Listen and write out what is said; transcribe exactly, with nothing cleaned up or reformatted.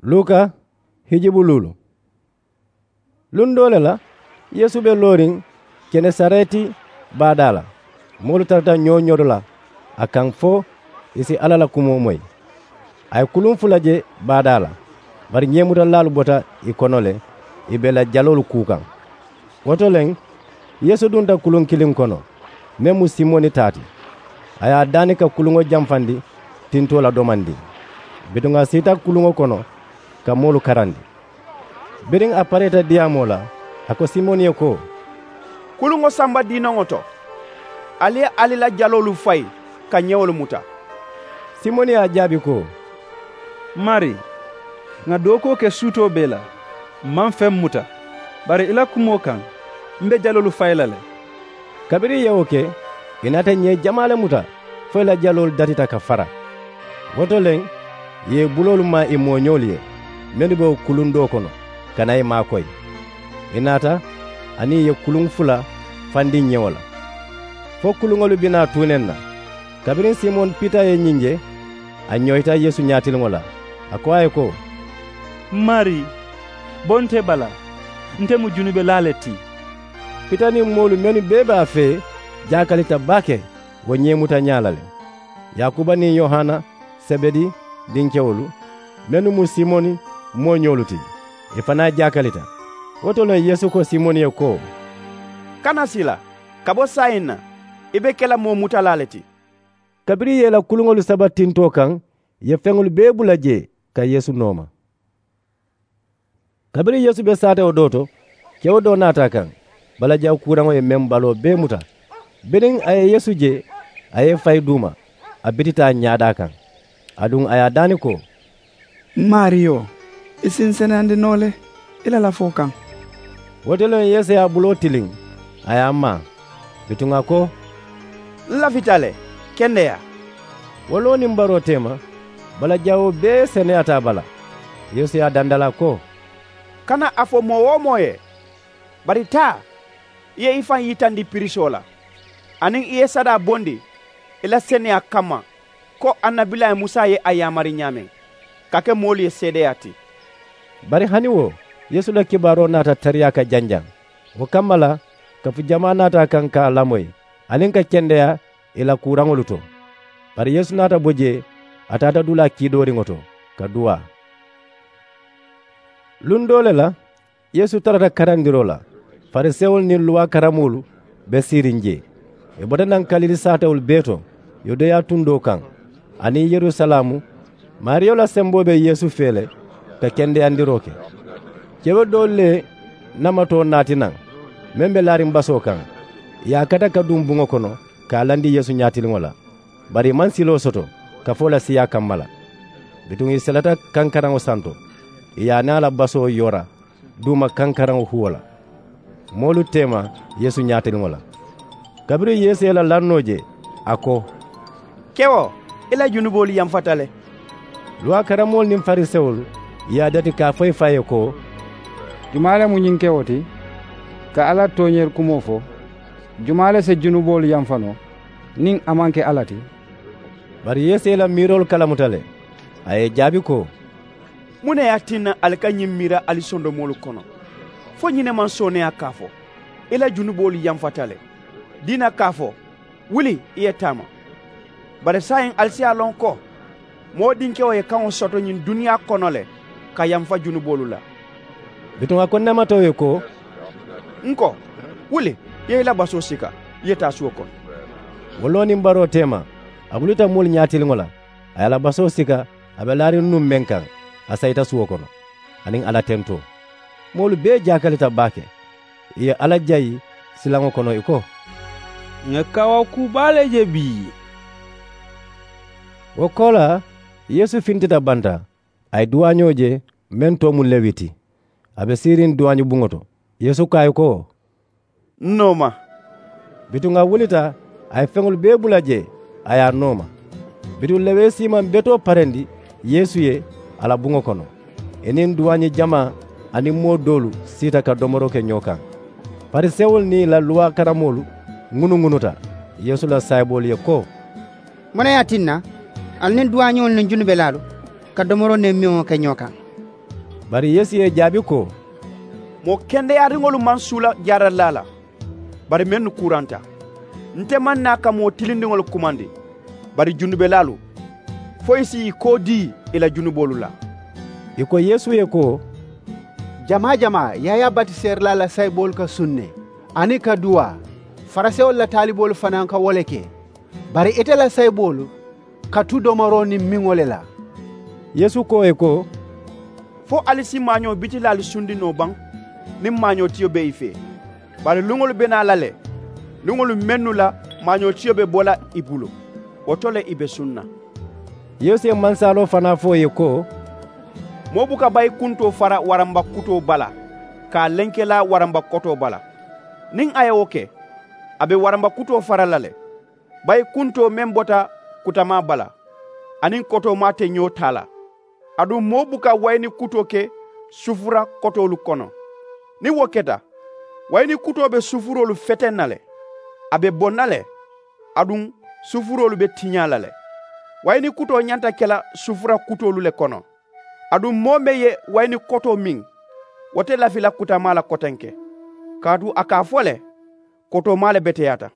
Luka hijibu luulu. Luŋ doo le la, yeesu be looriŋ kenesareti baadaa la. Moolu tarata ñoo-ñoo la a kaŋ fo ì si alla la kumoo moyi. A ye kuluŋ fula je baadaa la, bari ñeemutalaalu bota ì kono le, ì be ì la jaloolu kuu kaŋ. Wo to le, yeesu dunta kuluŋ kiliŋ kono, meŋ mu simoni taa ti. A ye a daani ka kuluŋo jamfandi tintoo la domandiŋ. Bituŋ a siita kuluŋo kono ka moolu karandi. Biriŋ a pareeta diyaamoo la, a ko simoni ye ko, kuluŋo samba diinoŋo to, ali ye ali la jaloolu fayi ka ñewolu muta. Simoni ye a jaabi ko, mari, ŋà dookuwo ke suutoo bee la, m maŋ feŋ muta, bari i la kumoo kaŋ, m be jaloolu fayi la le. Kabiriŋ ì ye wo ke, ì naata ñee jamaa le muta fo ì la jaloolu datita ka fara. Wo to le, ì ye ì buloolu maa ì mooñoolu ye mennu be wo kuluŋ doo kono, ka naa ì maakoyi. Ì naata, aniŋ ì ye kuluŋ fula fandi ñewo la, fo kuluŋolu bi naa tuuneŋ na. Kabiriŋ simoni pita ye ñiŋ je, a ñoyita yeesu ñaatiliŋo la, a ko a ye ko, mari, bo nte bala, nte mu junubelaa le ti. Pita niŋ moolu mennu bee be a fee jaakalita baake wo ñeemutañaa la le. Yaakuba niŋ yohana, sebedi dinkewolu, mennu mu simoni mooñoolu ti, ì fanaa jaakalita. Wo to le yeesu ko simoni ye ko, kana sila, ka bo saayiŋ na, i be ke la moo mutalaa le ti. Kabiriŋ ì ye ì la kuluŋolu saba tintoo kaŋ, ì ye feŋolu bee bula jee ka yeesu nooma. Kabiriŋ yeesu be saatewo doo to, kewo doo naata a kaŋ, balajaŋ kuuraŋo ye meŋ baloo bee muta. Biriŋ a ye yeesu je, a ye ì fayi duuma, a bitita a ñaadaa kaŋ. Aduŋ a ye a daani ko, m maariyo, i si n seneyandi noo le i la lafoo kaŋ. Wo to le yeesu ye a buloo tiliŋ, a ye a maa. Bituŋ a ko, n lafita le, kendeyaa. Wo loo niŋ baroo teema, balajawoo bee seneyaata a bala. Yeesu ye a dandalaa ko, kana a fo moo-wo-moo ye, bari taa, i ye i faŋ yitandi pirisoo la, aniŋ i ye sadaa bondi i la seneyaa kamma, ko annabilaayi musa ye a yaamari ñaameŋ, ka ke moolu ye seedeyaa ti. Bari hani wo, yeesu la kibaaroo naata tariyaa ka janjaŋ. Wo kamma la, kafu jamaa naata a kaŋ ka a lamoyi, aniŋ ka kendeyaa ì la kuuraŋolu to. Bari yeesu naata bo jee, a taata dulaa kiidooriŋo to, ka duwaa. Luŋ doo le la, yeesu tarata karandiroo la, farisewolu niŋ luwaa karamoolu be siiriŋ jee. Ì bota naŋ kalili saatewolu bee to, yudeya tundoo kaŋ, aniŋ yerusalaamu. Maariyo la semboo be yeesu fee le, ka kendeyandiroo ke. Kewo doolu le namatoo naati naŋ, meŋ be laariŋ basoo kaŋ. Ì ye a kata ka duŋ buŋo kono, ka a landi yeesu ñaatiliŋo la. Bari ì maŋ siloo soto kafoo la siiyaa kamma la. Bituŋ ì seleta kankaraŋo santo, ì ye a niŋ a la basoo yoora duuma kankaraŋo huwo la. Moolu teema yeesu ñaatiliŋo la. Kabiriŋ yeesu ye ì la lannoo je, a ko, kewo, i la junuboolu yamfata le. Luwaa karamoolu niŋ farisewolu ye a dati ka a fo ì faa ye ko, jumaa le mu ñiŋ kewo ti, ka alla tooñeeri kumoo fo? Jumaa le si junuboolu yamfa noo niŋ a maŋ ke alla ti? Bari yeesu ye ì la miiroolu kalamuta le, a ye ì jaabi ko, muŋ ne ye a tinna ali ka ñiŋ miira ali sondomoolu kono? Fo ñiŋ ne maŋ sooneeyaa ka a fo, i la junuboolu yamfata le, diina ka a fo, wuli, i ye taama? Bari saayiŋ ali si a loŋ ko moo dinkewo ye kaŋo soto ñiŋ duniyaa kono le ka yamfa junuboolu la. Bituŋ a ko neematewo ye ko, n ko, wuli, i ye i la basoo sika, i ye taa suwo kono. Wo loo niŋ baroo teema, a bulita moolu ñaatiliŋo la, a ye a la basoo sika, a be laariŋ nuŋ meŋ kaŋ, a sayita suwo kono, aniŋ alla tentoo. Moolu bee jaakalita baake. Ì ye alla jayi silaŋo kono ì ko, ŋà kawaa kuu baa le je bii. Wo koolaa, yeesu fintita banta, a ye duwaañoo je, meŋ too mu lewi ti. A be siiriŋ duwaañi buŋo to. Yeesu ko a ye ko, n nooma. Bituŋ a wulita, a ye feŋolu bee bula jee, a ye a nooma. Bituŋ lewee siimaŋ betoo parendi yeesu ye, a la buŋo kono. Ì niŋ duwaañi jamaa aniŋ moo doolu siita ka domoroo ke ñoo kaŋ. Farisewolu niŋ ì la luwaa karamoolu ŋunuŋunuta yeesu la saayiboolu ye ko, muŋ ne ye a tinna ali niŋ duwaañiwolu niŋ junubelaalu ka domoroo niŋ meŋo ke ñoo kaŋ? Bari yeesu ye ì jaabi ko, moo kendeyariŋolu maŋ suula jaaradulaa la, bari mennu kuuranta. Nte maŋ naa ka moo tilindiŋolu kumandi, bari junubelaalu, fo ì si ì koo dii ì la junuboolu la. Ì ko yeesu ye ko, jamaa jamaa yaayaa batiseerilaa la sayiboolu ka suŋ ne, aniŋ ka duwaa. Farisewolu la taaliboolu fanaa ka wo le ke. Bari ite la sayiboolu ka tu domoroo niŋ miŋo le la. Yeesu ko ì ye ko, fo ali si maañoo bitilaalu sundi noo baŋ niŋ maañootiyo be ì fee? Bari luŋolu be naa la le, luŋolu mennu la maañootiyo be bo la ì bulu, wo to le ì be suŋ na. Yeesu ye mansaaloo fanaa fo ì ye ko, moo buka bayikuntoo fara waramba kutoo bala ka a lenkelaa waramba kotoo bala. Niŋ a ye wo ke, a be waramba kutoo fara la le. Bayikuntoo meŋ bota kutamaa bala aniŋ kotoomaa te ñoo taa la. Aduŋ moo buka wayini kutoo ke sufura kotoolu kono. Niŋ wo keta, wayini kutoo be sufuroolu feteŋ na le, a be boŋ na le. Aduŋ sufuroolu be tiñaa la le. Wayini kutoo ñanta ke la sufura kutoolu le kono. Aduŋ moo meŋ ye wayini kotoo miŋ, wo te lafi la kutamaa la kotenke, kaatu a ka a fo le, kotoomaa le beteyaata.